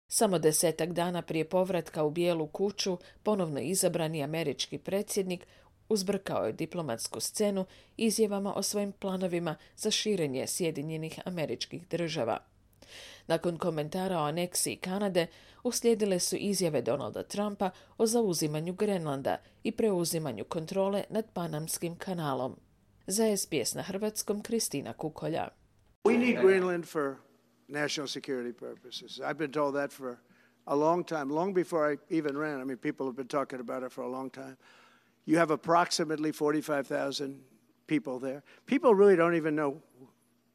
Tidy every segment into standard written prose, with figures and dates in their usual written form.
Samo 10 dana prije povratka u Bijelu kuću, ponovno izabrani američki predsjednik uzbrkao je diplomatsku scenu izjavama o svojim planovima za širenje Sjedinjenih Američkih Država. Nakon komentara o aneksiji Kanade uslijedile su izjave Donalda Trumpa o zauzimanju Grenlanda i preuzimanju kontrole nad Panamskim kanalom. Za SBS na hrvatskom Kristina Kukolja. We need Greenland for national security purposes. I've been told that for a long time, long before I even ran. I mean, people have been talking about it for a long time. You have approximately 45,000 people there. People really don't even know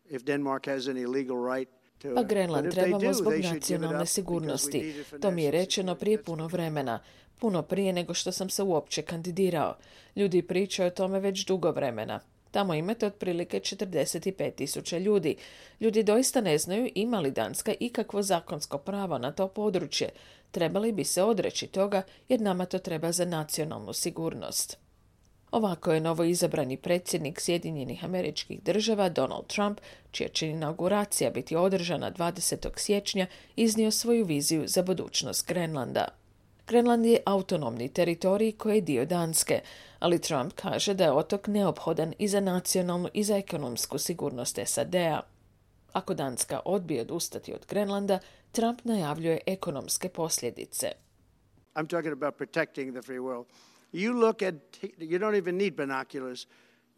if Denmark has any legal right. Pa Grenland trebamo zbog nacionalne sigurnosti. To mi je rečeno prije puno vremena. Puno prije nego što sam se uopće kandidirao. Ljudi pričaju o tome već dugo vremena. Tamo imate otprilike 45.000 ljudi. Ljudi doista ne znaju ima li Danska ikakvo zakonsko pravo na to područje. Trebali bi se odreći toga jer nama to treba za nacionalnu sigurnost. Ovako je novoizabrani predsjednik Sjedinjenih Američkih Država Donald Trump, čija će inauguracija biti održana 20. siječnja, iznio svoju viziju za budućnost Grenlanda. Grenland je autonomni teritorij koji je dio Danske, ali Trump kaže da je otok neophodan i za nacionalnu i za ekonomsku sigurnost SAD-a. Ako Danska odbije odustati od Grenlanda, Trump najavljuje ekonomske posljedice. I'm talking about protecting the free world. You don't even need binoculars.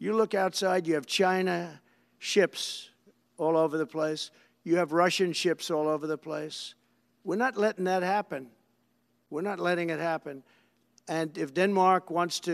You look outside, you have China ships all over the place. You have Russian ships all over the place. We're not letting that happen. We're not letting it happen. And if Denmark wants to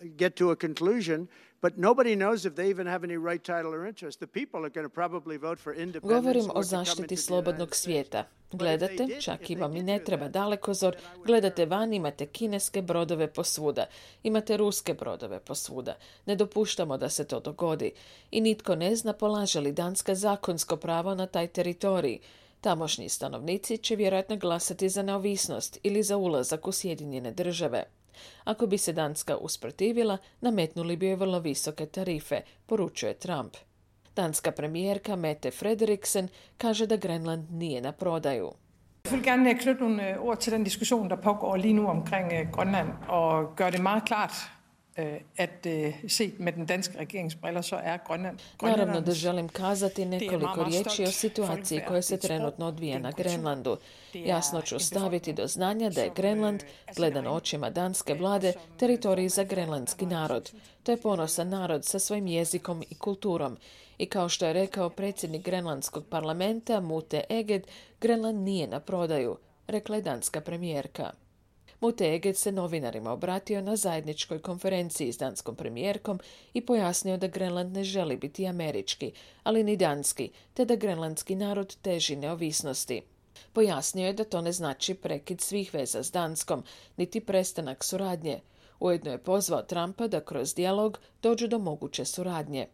get to a conclusion, but nobody knows if they even have any right title or interest. The people are going to probably vote for independence. Govorim o zaštiti slobodnog svijeta. Gledate, čak i vam i ne treba dalekozor, gledate van, imate kineske brodove posvuda, imate ruske brodove posvuda. Ne dopuštamo da se to dogodi. I nitko ne zna polaže li Danska zakonsko pravo na taj teritorij. Tamošnji stanovnici će vjerojatno glasati za neovisnost ili za ulazak u Sjedinjene Države. Ako bi se Danska usprotivila, nametnuli bi joj vrlo visoke tarife, poručuje Trump. Danska premijerka Mette Frederiksen kaže da Grenland nije na prodaju. Jeg vil gerne knytte nogle ord til den diskussion, der pågår lige nu omkring Grønland, og gøre det meget klart, at set med den danske regeringsbriller, så er Grønland... Naravno da želim kazati nekoliko riječi o situaciji koja se trenutno odvija na Grenlandu. Jasno ću staviti do znanja da je Grenland, gledan očima danske vlade, teritorij za grenlandski narod. To je ponosan narod sa svojim jezikom i kulturom. I kao što je rekao predsjednik grenlandskog parlamenta Mute Eged, Grenland nije na prodaju, rekla je danska premijerka. Mute Eged se novinarima obratio na zajedničkoj konferenciji s danskom premijerkom i pojasnio da Grenland ne želi biti američki, ali ni danski, te da grenlandski narod teži neovisnosti. Pojasnio je da to ne znači prekid svih veza s Danskom, niti prestanak suradnje. Ujedno je pozvao Trumpa da kroz dijalog dođu do moguće suradnje.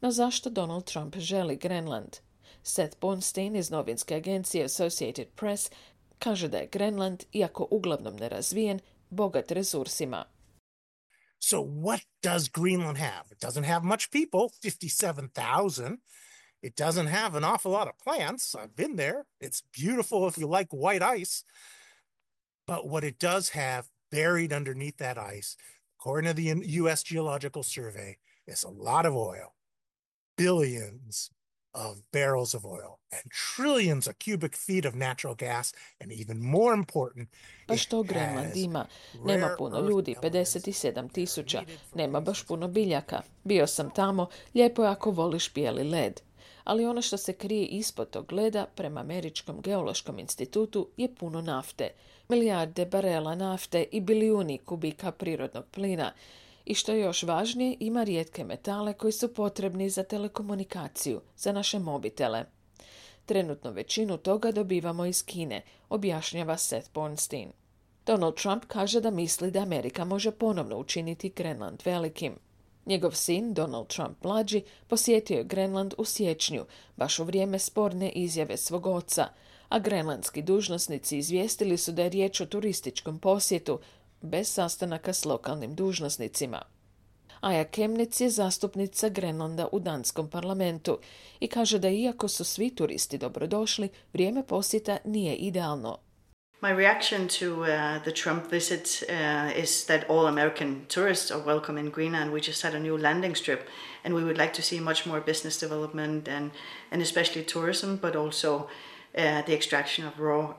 No zašto Donald Trump želi Grenland? Seth Bornstein iz novinske agencije Associated Press kaže da je Grenland, iako uglavnom nerazvijen, bogat resursima. So what does Greenland have? It doesn't have much people, 57,000. It doesn't have an awful lot of plants. I've been there. It's beautiful if you like white ice. But what it does have buried underneath that ice, according to the U.S. Geological Survey, is a lot of oil. Billions of barrels of oil and trillions of cubic feet of natural gas, and even more important, pa što Grenland ima? Nema puno ljudi, 57.000. Nema baš puno biljaka. Bio sam tamo, lijepo je ako voliš bijeli led. Ali ono što se krije ispod tog leda, prema Američkom geološkom institutu, je puno nafte. Milijarde barela nafte i bilijuni kubika prirodnog plina. I što je još važnije, ima rijetke metale koji su potrebni za telekomunikaciju, za naše mobitele. Trenutno većinu toga dobivamo iz Kine, objašnjava Seth Bornstein. Donald Trump kaže da misli da Amerika može ponovno učiniti Grenland velikim. Njegov sin, Donald Trump mlađi, posjetio je Grenland u siječnju, baš u vrijeme sporne izjave svog oca, a grenlandski dužnosnici izvijestili su da je riječ o turističkom posjetu, bez sastanaka s lokalnim dužnosnicima. Aja Kemnitz je zastupnica Grenlanda u danskom parlamentu i kaže da iako su svi turisti dobrodošli, vrijeme posjeta nije idealno. My reaction to the Trump visit is that all American tourists are welcome in Greenland. We just had a new landing strip, and we would like to see much more business development and especially tourism, but also the extraction of raw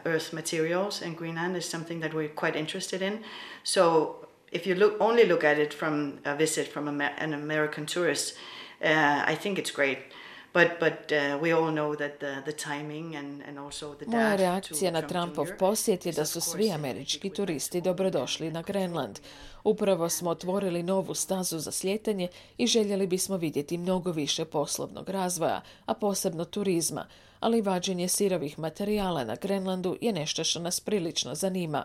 earth materials in Greenland is something that we're quite interested in. So if you only look at it from a visit from an American tourist, I think it's great. But we all know that the timing and also the Moja reakcija na Trumpov posjet je da su svi američki turisti dobrodošli na Grenland. Upravo smo otvorili novu stazu za slijetanje i željeli bismo vidjeti mnogo više poslovnog razvoja, a posebno turizma, ali vađenje sirovih materijala na Grenlandu je nešto što nas prilično zanima.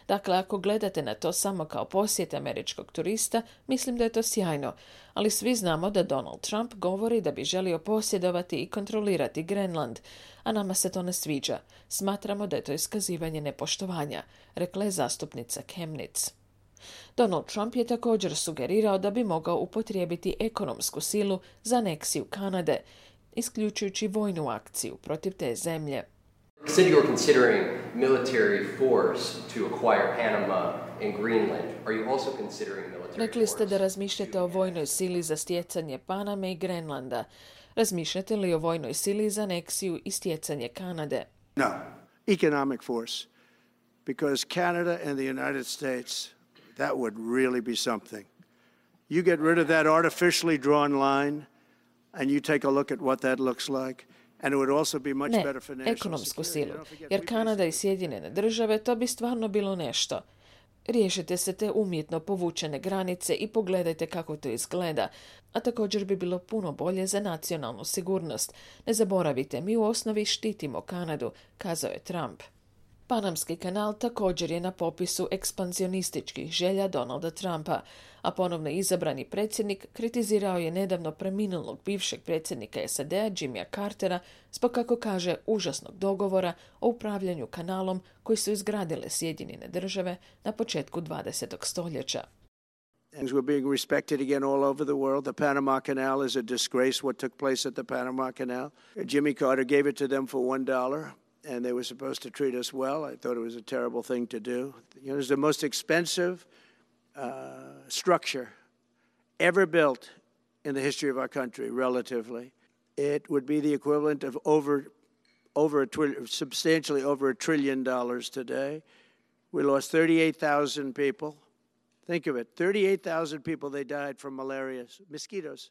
Dakle, ako gledate na to samo kao posjet američkog turista, mislim da je to sjajno, ali svi znamo da Donald Trump govori da bi želio posjedovati i kontrolirati Grenland, a nama se to ne sviđa. Smatramo da je to iskazivanje nepoštovanja, rekla je zastupnica Kemnitz. Donald Trump je također sugerirao da bi mogao upotrijebiti ekonomsku silu za aneksiju Kanade, isključujući vojnu akciju protiv te zemlje. You said you were considering military force to acquire Panama and Greenland. Are you also considering military Rekli ste da force? razmišljate o vojnoj sili za stjecanje Paname i Grenlanda. Razmišljate li o vojnoj sili za aneksiju i stjecanje Kanade? No, economic force. Because Canada and the United States, that would really be something. You get rid of that artificially drawn line and you take a look at what that looks like. Ne, ekonomsku silu, jer Kanada i Sjedinjene države to bi stvarno bilo nešto. Riješite se te umjetno povučene granice i pogledajte kako to izgleda, a također bi bilo puno bolje za nacionalnu sigurnost. Ne zaboravite, mi u osnovi štitimo Kanadu, kazao je Trump. Panamski kanal također je na popisu ekspanzionističkih želja Donalda Trumpa, a ponovno izabrani predsjednik kritizirao je nedavno preminulog bivšeg predsjednika SAD-a Jimmya Cartera zbog, kako kaže, užasnog dogovora o upravljanju kanalom koji su izgradile Sjedinjene države na početku 20. stoljeća. Things were being respected again all over the world. The Panama Canal is a disgrace what took place at the Panama Canal. Jimmy Carter gave it to them for $1. And they were supposed to treat us well. I thought it was a terrible thing to do. You know, it's the most expensive structure ever built in the history of our country, relatively. It would be the equivalent of substantially over $1 trillion today. We lost 38,000 people. Think of it, 38,000 people, they died from malaria, mosquitoes.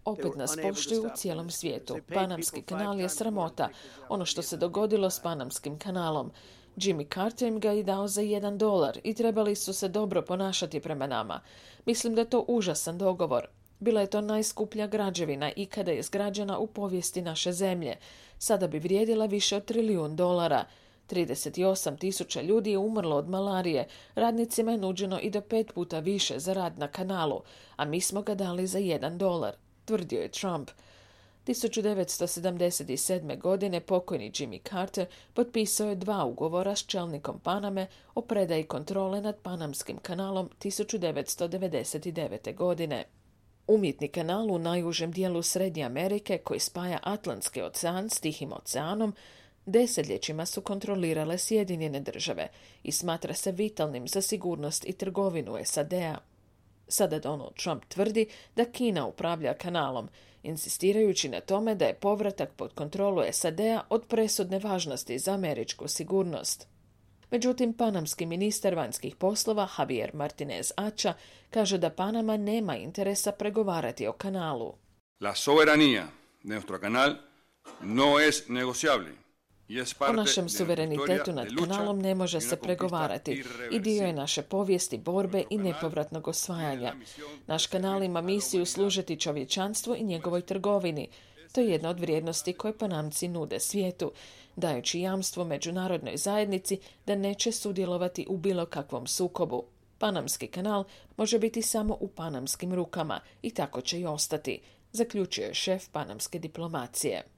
Opet nas poštuju u cijelom svijetu. Panamski kanal je sramota. Ono što se dogodilo s Panamskim kanalom. Jimmy Carter im ga je dao za $1 i trebali su se dobro ponašati prema nama. Mislim da je to užasan dogovor. Bila je to najskuplja građevina ikada je izgrađena u povijesti naše zemlje. Sada bi vrijedila više od $1 trilijun. 38,000 ljudi je umrlo od malarije. Radnicima je nuđeno i do 5 puta više za rad na kanalu, a mi smo ga dali za $1. Tvrdio je Trump. 1977. godine pokojni Jimmy Carter potpisao je 2 ugovora s čelnikom Paname o predaji kontrole nad Panamskim kanalom 1999. godine. Umjetni kanal u najužem dijelu Srednje Amerike koji spaja Atlantski ocean s Tihim oceanom desetljećima su kontrolirale Sjedinjene države i smatra se vitalnim za sigurnost i trgovinu SAD-a. Sada Donald Trump tvrdi da Kina upravlja kanalom, insistirajući na tome da je povratak pod kontrolu SAD-a od presudne važnosti za američku sigurnost. Međutim, panamski ministar vanjskih poslova Javier Martinez Acha kaže da Panama nema interesa pregovarati o kanalu. La soberanía de nuestro canal no es negociable. O našem suverenitetu nad kanalom ne može se pregovarati i dio je naše povijesti, borbe i nepovratnog osvajanja. Naš kanal ima misiju služiti čovječanstvu i njegovoj trgovini. To je jedna od vrijednosti koje Panamci nude svijetu, dajući jamstvo međunarodnoj zajednici da neće sudjelovati u bilo kakvom sukobu. Panamski kanal može biti samo u panamskim rukama i tako će i ostati, zaključio je šef panamske diplomacije.